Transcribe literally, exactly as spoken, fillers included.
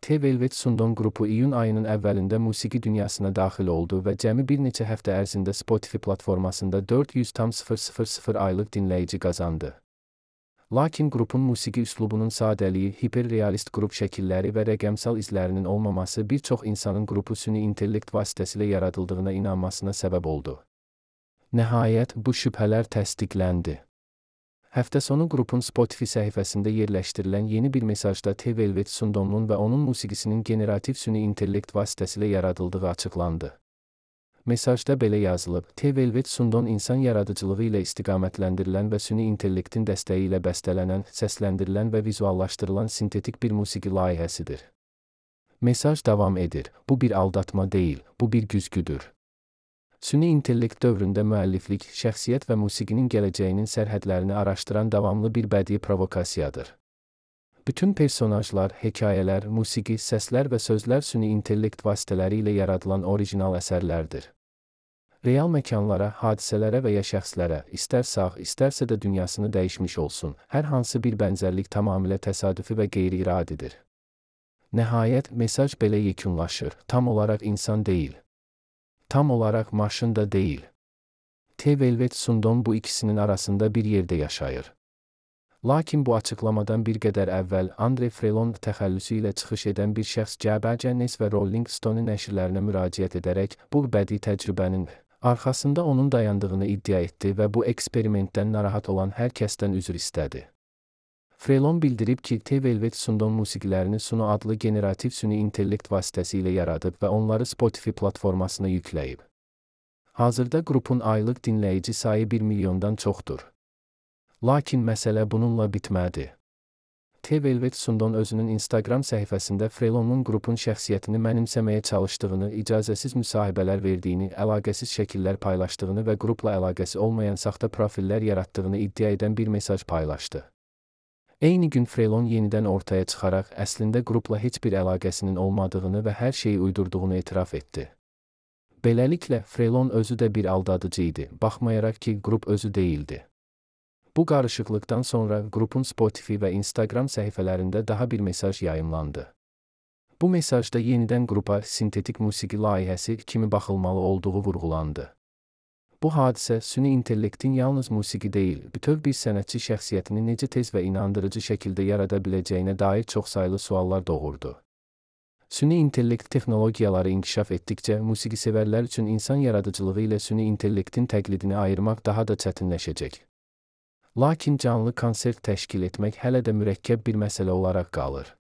T-Velvet Sundon qrupu iyun ayının əvvəlində musiqi dünyasına daxil oldu və cəmi bir neçə həftə ərzində Spotify platformasında dörd yüz min aylıq dinləyici qazandı. Lakin qrupun musiqi üslubunun sadəliyi, hiperrealist qrup şəkilləri və rəqəmsal izlərinin olmaması bir çox insanın qrupu süni intellekt vasitəsilə yaradıldığına inanmasına səbəb oldu. Nəhayət, bu şübhələr təsdiqləndi. Həftə sonu qrupun Spotify səhifəsində yerləşdirilən yeni bir mesajda T-Velvet Sundonun və onun musiqisinin generativ süni intellekt vasitəsilə yaradıldığı açıqlandı. Mesajda belə yazılıb: T-Velvet Sundon insan yaradıcılığı ilə istiqamətləndirilən və süni intellektin dəstəyi ilə bəstələnən, səsləndirilən və vizuallaşdırılan sintetik bir musiqi layihəsidir. Mesaj davam edir: Bu bir aldatma deyil, bu bir güzgüdür. Süni intellekt dövründə müəlliflik, şəxsiyyət və musiqinin gələcəyinin sərhədlərini araşdıran davamlı bir bədii provokasiyadır. Bütün personajlar, hekayələr, musiqi, səslər və sözlər süni intellekt vasitələri ilə yaradılan orijinal əsərlərdir. Real məkanlara, hadisələrə və ya şəxslərə, istər sağ, istərsə də dünyasını dəyişmiş olsun, hər hansı bir bənzərlik tamamilə təsadüfi və qeyri-iradidir. Nəhayət, mesaj belə yekunlaşır: tam olaraq insan deyil. Tam olaraq maşın da deyil. T-Velvet Sundon bu ikisinin arasında bir yerdə yaşayır. Lakin bu açıqlamadan bir qədər əvvəl Andre Frelon təxəllüsü ilə çıxış edən bir şəxs Cəbəcənes və Rolling Stone nəşrlərinə müraciət edərək bu bədii təcrübənin arxasında onun dayandığını iddia etdi və bu eksperimentdən narahat olan hər kəsdən üzr istədi. Frelon bildirib ki, T-Velvet Sundon musiqilərini Suno adlı generativ süni intellekt vasitəsilə yaradıb və onları Spotify platformasına yükləyib. Hazırda qrupun aylıq dinləyici sayı bir milyondan çoxdur. Lakin məsələ bununla bitmədi. T-Velvet Sundon özünün Instagram səhifəsində Frelonun qrupun şəxsiyyətini mənimsəməyə çalışdığını, icazəsiz müsahibələr verdiyini, əlaqəsiz şəkillər paylaşdığını və qrupla əlaqəsi olmayan saxta profillər yaratdığını iddia edən bir mesaj paylaşdı. Eyni gün Frelon yenidən ortaya çıxaraq əslində qrupla heç bir əlaqəsinin olmadığını və hər şeyi uydurduğunu etiraf etdi. Beləliklə, Frelon özü də bir aldadıcı idi, baxmayaraq ki, qrup özü deyildi. Bu qarışıqlıqdan sonra qrupun Spotify və Instagram səhifələrində daha bir mesaj yayımlandı. Bu mesajda yenidən qrupa sintetik musiqi layihəsi kimi baxılmalı olduğu vurğulandı. Bu hadisə süni intellektin yalnız musiqi deyil, bütöv bir sənətçi şəxsiyyətini necə tez və inandırıcı şəkildə yarada biləcəyinə dair çoxsaylı suallar doğurdu. Süni intellekt texnologiyaları inkişaf etdikcə musiqisevərlər üçün insan yaradıcılığı ilə süni intellektin təqlidini ayırmaq daha da çətinləşəcək. Lakin canlı konsert təşkil etmək hələ də mürəkkəb bir məsələ olaraq qalır.